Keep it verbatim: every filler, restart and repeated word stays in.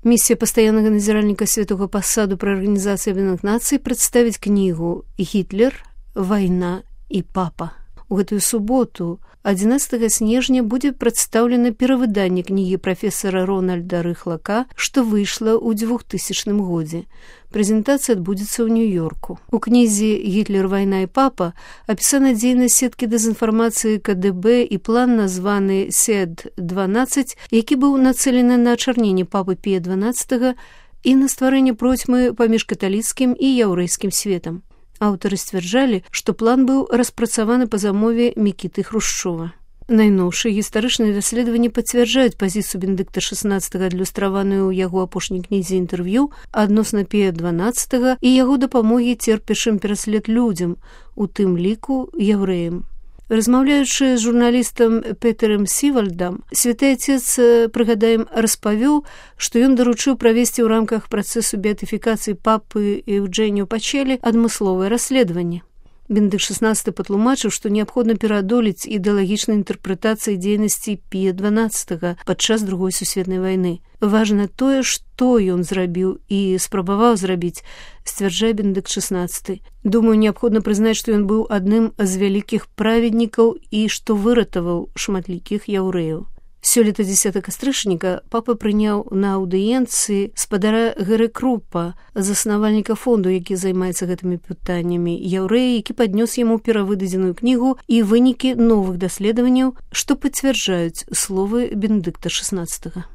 Миссия постоянного назиральника Святого Посаду при Организации Объединенных Наций представить книгу «Гитлер, война и папа». У гэтую суботу, адзінаццатага снежня, будзе прадстаўлена перавыданне кнігі прафесара Рональда Рыхлака, што выйшла ў двухтысячным годзе. Прэзентацыя адбудзецца ў Нью-Йорку. У кнізе «Гітлер, вайна і папа» апісана дзейнасць сеткі дэзінфармацыі ка дэ бэ і план, названы сед дванаццаць, які быў нацэлены на ачарненне папы Пія дванаццатага і на стварэнне процьмы паміж каталіцкім і яўрэйскім светам. Аўтары сцвярджалі, што план быў распрацаваны па замове Мікіты Хрушчова. Найноўшыя гістарычныя даследаванні пацвярджаюць пазіцыю Бенедыкта шаснаццатага, адлюстраваную ў яго апошняй кнізе інтэрв'ю адносна Пія дванаццатага і яго дапамогі церпячым пераслед людзям, у тым ліку яўрэям. Размаўляючы з журналістам Петэрам Сівальдам, святы отец, прыгадаем, распавёў, што ён даручыў правесці ў рамках працэсу беатыфікацыі папы Еўджэніо Пачэлі адмысловае расследаванне. Бенедыкт шаснаццаты патлумачыў, што неабходна пераадолець ідэалагічнай інтэрпрэтацыі дзейнасці Пія дванаццатага падчас другой сусветнай вайны. Важна тое, што ён зрабіў і спрабаваў зрабіць, сцвярджае Бенедыкт шаснаццаты. Думаю, неабходна прызнаць, што ён быў адным з вялікіх праведнікаў і што выратаваў шматлікіх яўрэяў. Сёлета дзесятага кастрычніка папа прыняў на аўдыенцыі спадара Гэры Крупа, заснавальніка фонду, які займаецца гэтымі пытаннямі, яўрэя, які паднёс яму перавыдадзеную кнігу і вынікі новых даследаванняў, што пацвярджаюць словы Бенедыкта шаснаццатага.